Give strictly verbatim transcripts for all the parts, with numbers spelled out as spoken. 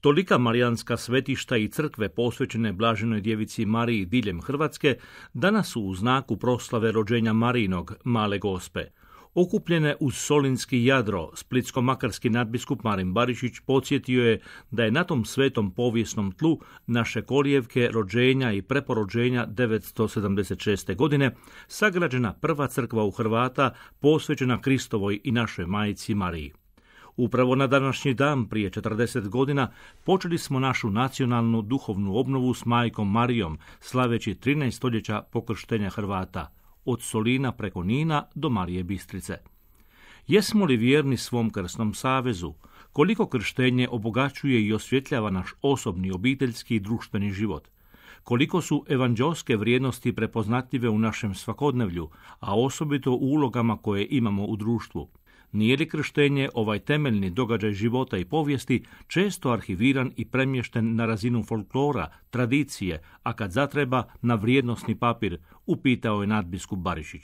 Tolika marijanska svetišta i crkve posvećene Blaženoj djevici Mariji diljem Hrvatske danas su u znaku proslave rođenja Marijinog Male Gospe. Okupljene uz solinski jadro, splitsko-makarski nadbiskup Marin Barišić podsjetio je da je na tom svetom povijesnom tlu naše kolijevke rođenja i preporođenja devetsto sedamdeset šeste. godine sagrađena prva crkva u Hrvata posvećena Kristovoj i našoj majici Mariji. Upravo na današnji dan, prije četrdeset godina, počeli smo našu nacionalnu duhovnu obnovu s majkom Marijom, slaveći trinaest stoljeća pokrštenja Hrvata, od Solina preko Nina do Marije Bistrice. Jesmo li vjerni svom krsnom savezu? Koliko krštenje obogaćuje i osvjetljava naš osobni, obiteljski i društveni život? Koliko su evanđelske vrijednosti prepoznatljive u našem svakodnevlju, a osobito u ulogama koje imamo u društvu? Nije li krštenje, ovaj temeljni događaj života i povijesti, često arhiviran i premješten na razinu folklora, tradicije, a kad zatreba na vrijednosni papir, upitao je nadbiskup Barišić.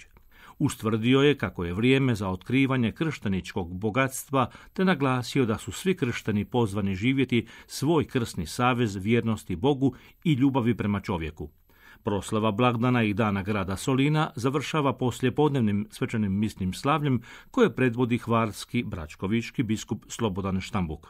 Ustvrdio je kako je vrijeme za otkrivanje kršteničkog bogatstva, te naglasio da su svi kršteni pozvani živjeti svoj krsni savez vjernosti Bogu i ljubavi prema čovjeku. Proslava blagdana i dana grada Solina završava poslijepodnevnim svečanim misnim slavljem koje predvodi hvarski bračkovički biskup Slobodan Štambuk.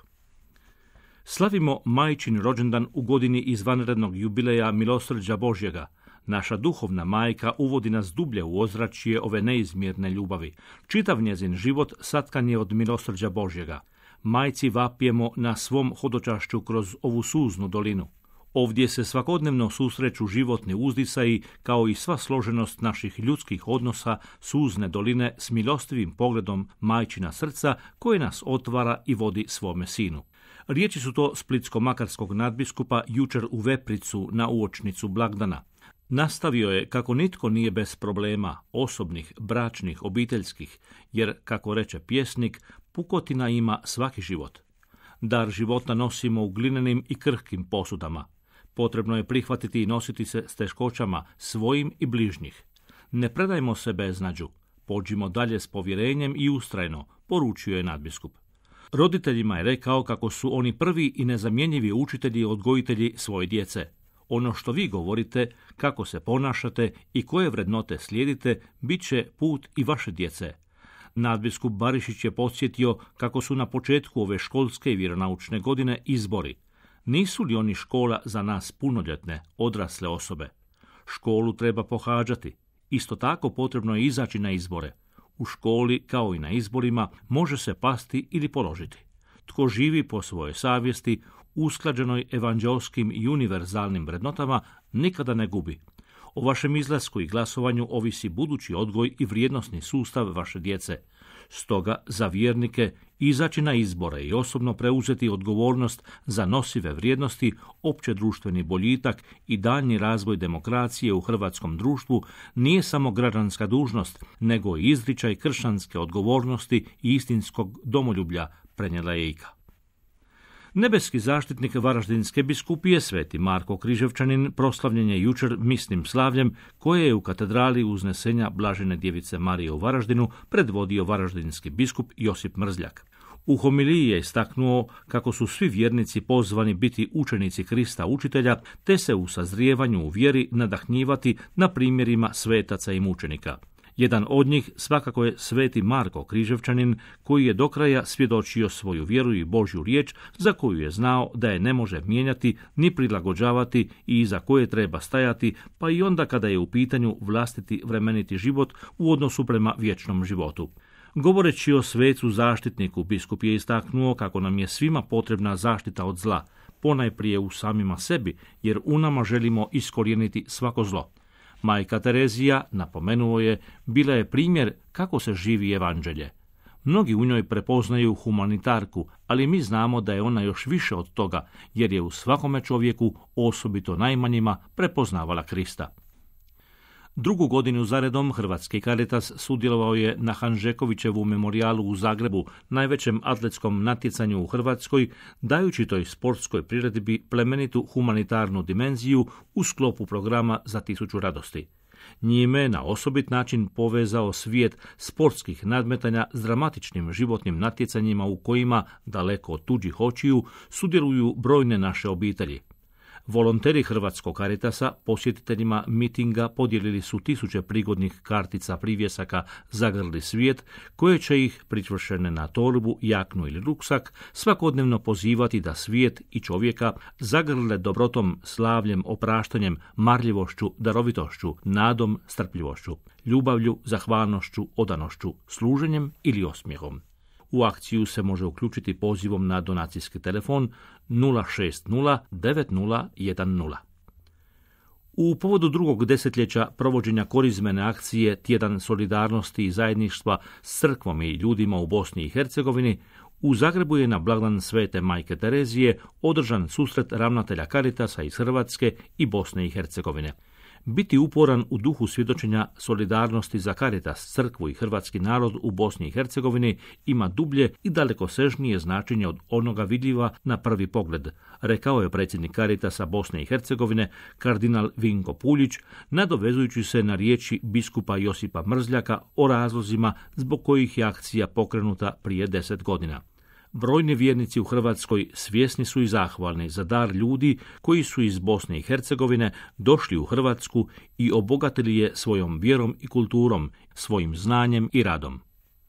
Slavimo majčin rođendan u godini izvanrednog jubileja milosrđa Božjega. Naša duhovna majka uvodi nas dublje u ozračje ove neizmjerne ljubavi. Čitav njezin život satkan je od milosrđa Božjega. Majci vapijemo na svom hodočašću kroz ovu suznu dolinu. Ovdje se svakodnevno susreću životni uzdisaji, kao i sva složenost naših ljudskih odnosa suzne doline s milostivim pogledom majčina srca koje nas otvara i vodi svome sinu. Riječi su to splitsko-makarskog nadbiskupa jučer u Vepricu na uočnicu blagdana. Nastavio je kako nitko nije bez problema, osobnih, bračnih, obiteljskih, jer, kako reče pjesnik, pukotina ima svaki život. Dar života nosimo u glinenim i krhkim posudama. Potrebno je prihvatiti i nositi se s teškoćama svojim i bližnjih. Ne predajmo se beznađu, pođimo dalje s povjerenjem i ustrajno, poručio je nadbiskup. Roditeljima je rekao kako su oni prvi i nezamjenjivi učitelji i odgojitelji svoje djece. Ono što vi govorite, kako se ponašate i koje vrednote slijedite, bit će put i vaše djece. Nadbiskup Barišić je podsjetio kako su na početku ove školske i vjeronaučne godine izbori. Nisu li oni škola za nas punoljetne, odrasle osobe? Školu treba pohađati. Isto tako potrebno je izaći na izbore. U školi, kao i na izborima, može se pasti ili položiti. Tko živi po svojoj savjesti, usklađenoj evanđelskim i univerzalnim vrednotama, nikada ne gubi. O vašem izlasku i glasovanju ovisi budući odgoj i vrijednosni sustav vaše djece. Stoga, za vjernike, izaći na izbore i osobno preuzeti odgovornost za nosive vrijednosti, opće društveni boljitak i daljnji razvoj demokracije u hrvatskom društvu nije samo građanska dužnost, nego i izričaj kršćanske odgovornosti i istinskog domoljublja, prenijela je Ika. Nebeski zaštitnik Varaždinske biskupije, sveti Marko Križevčanin, proslavljen je jučer misnim slavljem koje je u katedrali Uznesenja Blažene djevice Marije u Varaždinu predvodio varaždinski biskup Josip Mrzljak. U homiliji je istaknuo kako su svi vjernici pozvani biti učenici Krista učitelja, te se u sazrijevanju u vjeri nadahnjivati na primjerima svetaca i mučenika. Jedan od njih svakako je sveti Marko Križevčanin, koji je do kraja svjedočio svoju vjeru i Božju riječ, za koju je znao da je ne može mijenjati ni prilagođavati i iza koje treba stajati, pa i onda kada je u pitanju vlastiti vremeniti život u odnosu prema vječnom životu. Govoreći o svecu zaštitniku, biskup je istaknuo kako nam je svima potrebna zaštita od zla, ponajprije u samima sebi, jer u nama želimo iskorijeniti svako zlo. Majka Terezija, napomenuo je, bila je primjer kako se živi evanđelje. Mnogi u njoj prepoznaju humanitarku, ali mi znamo da je ona još više od toga, jer je u svakome čovjeku, osobito najmanjima, prepoznavala Krista. Drugu godinu zaredom Hrvatski Caritas sudjelovao je na Hanžekovićevu memorijalu u Zagrebu, najvećem atletskom natjecanju u Hrvatskoj, dajući toj sportskoj priredbi plemenitu humanitarnu dimenziju u sklopu programa Za tisuću radosti. Njime na osobit način povezao svijet sportskih nadmetanja s dramatičnim životnim natjecanjima u kojima, daleko od tuđih očiju, sudjeluju brojne naše obitelji. Volonteri Hrvatskog Caritasa posjetiteljima mitinga podijelili su tisuće prigodnih kartica privjesaka Zagrli svijet, koje će ih, pričvršene na torbu, jaknu ili ruksak, svakodnevno pozivati da svijet i čovjeka zagrle dobrotom, slavljem, opraštanjem, marljivošću, darovitošću, nadom, strpljivošću, ljubavlju, zahvalnošću, odanošću, služenjem ili osmijehom. U akciju se može uključiti pozivom na donacijski telefon nula šest nula devet nula jedan nula. U povodu drugog desetljeća provođenja korizmene akcije Tjedan solidarnosti i zajedništva s crkvom i ljudima u Bosni i Hercegovini, u Zagrebu je na blagdan Svete Majke Terezije održan susret ravnatelja Caritasa iz Hrvatske i Bosne i Hercegovine. Biti uporan u duhu svjedočenja solidarnosti za Caritas, crkvu i hrvatski narod u Bosni i Hercegovini ima dublje i dalekosežnije značenje od onoga vidljiva na prvi pogled, rekao je predsjednik Caritasa Bosne i Hercegovine, kardinal Vinko Puljić, nadovezujući se na riječi biskupa Josipa Mrzljaka o razlozima zbog kojih je akcija pokrenuta prije deset godina. Brojni vjernici u Hrvatskoj svjesni su i zahvalni za dar ljudi koji su iz Bosne i Hercegovine došli u Hrvatsku i obogatili je svojom vjerom i kulturom, svojim znanjem i radom.